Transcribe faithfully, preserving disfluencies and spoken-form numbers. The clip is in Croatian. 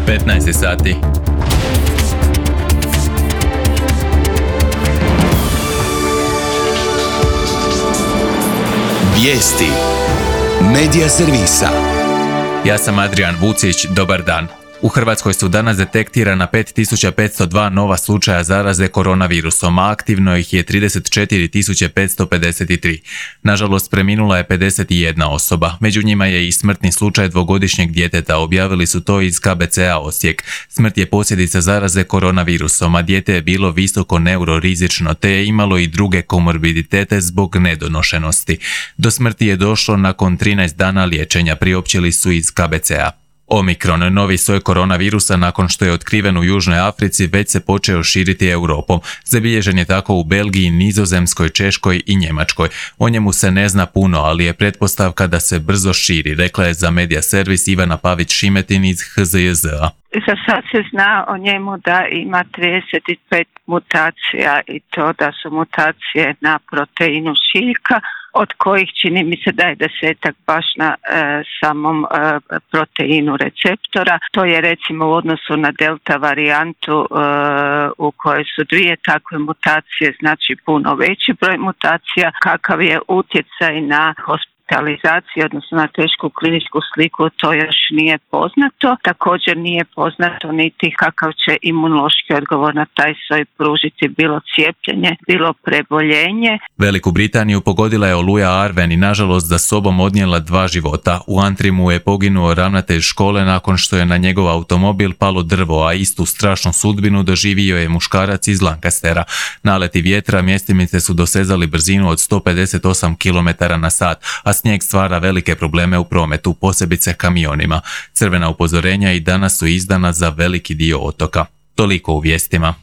petnaest sati. Vijesti Medija servisa. Ja sam Adrian Vucić, dobar dan. U Hrvatskoj su danas detektirana pet tisuća petsto dva nova slučaja zaraze koronavirusom, a aktivno ih je trideset četiri tisuće petsto pedeset tri. Nažalost, preminula je pedeset jedna osoba. Među njima je i smrtni slučaj dvogodišnjeg djeteta, objavili su to iz K B C-a Osijek. Smrt je posljedica zaraze koronavirusom, a dijete je bilo visoko neurorizično te je imalo i druge komorbiditete zbog nedonošenosti. Do smrti je došlo nakon trinaest dana liječenja, priopćili su iz K B C-a. Omikron, novi soj koronavirusa nakon što je otkriven u Južnoj Africi, već se počeo širiti Europom. Zabilježen je tako u Belgiji, Nizozemskoj, Češkoj i Njemačkoj. O njemu se ne zna puno, ali je pretpostavka da se brzo širi, rekla je za Medija servis Ivana Pavić-Šimetin iz H Z J Z-a. Za sad se zna o njemu da ima trideset pet mutacija i to da su mutacije na proteinu šiljka, od kojih čini mi se da je desetak baš na e, samom e, proteinu receptora. To je recimo u odnosu na delta varijantu e, u kojoj su dvije takve mutacije, znači puno veći broj mutacija. Kakav je utjecaj na hospitalizaciju, odnosno na tešku kliničku sliku, to još nije poznato. Također nije poznato niti kakav će imunološki odgovor na taj soj pružiti bilo cijepljenje, bilo preboljenje. Veliku Britaniju pogodila je oluja Arven i nažalost za sobom odnijela dva života. U Antrimu je poginuo ravnatelj škole nakon što je na njegov automobil palo drvo, a istu strašnu sudbinu doživio je muškarac iz Lancastera. Naleti vjetra mjestimice su dosezali brzinu od sto pedeset osam kilometara na sat, a snijeg stvara velike probleme u prometu, posebice kamionima. Crvena upozorenja i danas su izdana za veliki dio otoka. Toliko u vijestima.